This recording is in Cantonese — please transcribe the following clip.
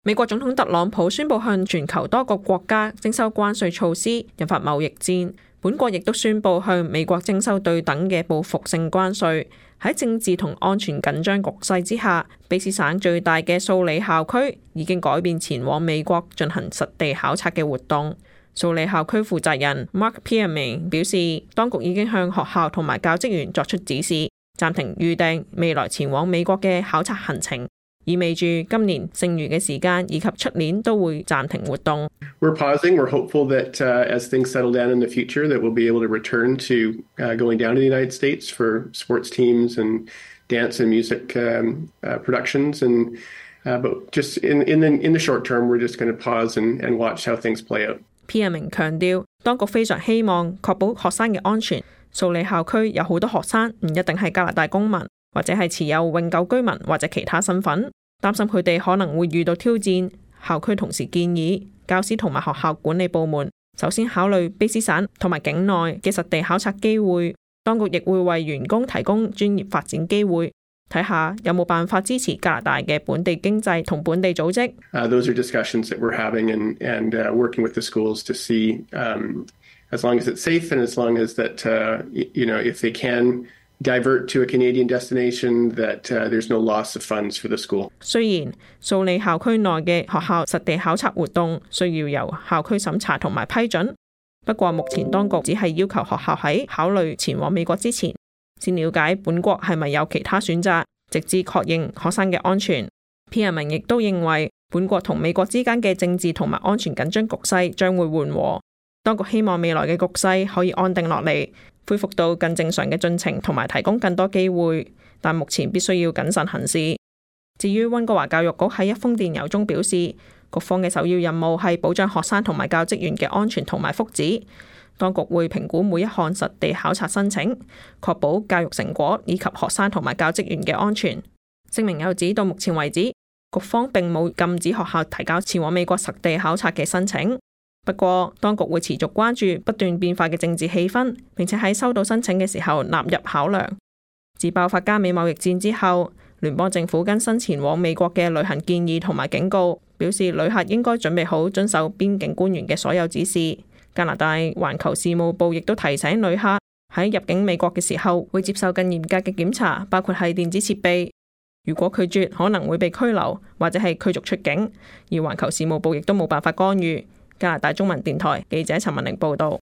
美國總統特朗普宣布向全球多個國家徵收關稅措施，引發貿易戰。本國亦都宣布向美國徵收對等嘅報復性關稅。喺政治同安全緊張局勢之下，卑詩省最大嘅素里校區已經改變前往美國進行實地考察嘅活動。素里校區負責人 Mark Pierman 表示，當局已經向學校同埋教職員作出指示，暫停預訂未來前往美國嘅考察行程，意味住今年剩餘嘅時間以及出年都會暫停活動。We're pausing. We're hopeful that as things settle down in the future, that we'll be able to return to going down to the United States for sports teams and dance and music productions. But just in the short term, we're just going to pause and watch how things play out. Pierman 強調，當局非常希望確保學生嘅安全。素里校區有好多學生唔一定係加拿大公民，或者係持有永久居民或者其他身份，擔心佢哋可能會遇到挑戰。校區同時建議教師同埋學校管理部門首先考慮卑詩省同埋境內嘅實地考察機會，當局亦會為員工提供專業發展機會，睇下有冇辦法支持加拿大嘅本地經濟同本地組織。Those are discussions that we're having and working with the schools to see as long as it's safe and as long as that if they can divert to a Canadian destination, that there's no loss of funds for the school. 雖然素里校區內嘅學校實地考察活動需要由校區審查同埋批准，不過目前當局只係要求學校喺考慮前往美國之前，先了解本國係咪有其他選擇，直至確認學生嘅安全。Pierman亦都認為本國同美國之間嘅政治同埋安全緊張局勢將會緩和，當局希望未來嘅局勢可以安定落嚟，恢復到更正常嘅進程同埋提供更多機會，但目前必須要謹慎行事。至於溫哥華教育局喺一封電郵中表示，局方嘅首要任務係保障學生同埋教職員嘅安全同埋福祉，當局會評估每一項實地考察申請，確保教育成果以及學生同埋教職員嘅安全。聲明又指，到目前為止，局方並冇禁止學校提交前往美國實地考察嘅申請。不過，當局會持續關注不斷變化嘅政治氣氛，並且喺收到申請嘅時候納入考量。自爆發加美貿易戰之後，聯邦政府更新前往美國嘅旅行建議同埋警告，表示旅客應該準備好遵守邊境官員嘅所有指示。加拿大環球事務部亦都提醒旅客喺入境美國嘅時候會接受更嚴格嘅檢查，包括係電子設備。如果拒絕，可能會被拘留或者係驅逐出境，而環球事務部亦都冇辦法干預。加拿大中文電台記者陳文玲報道。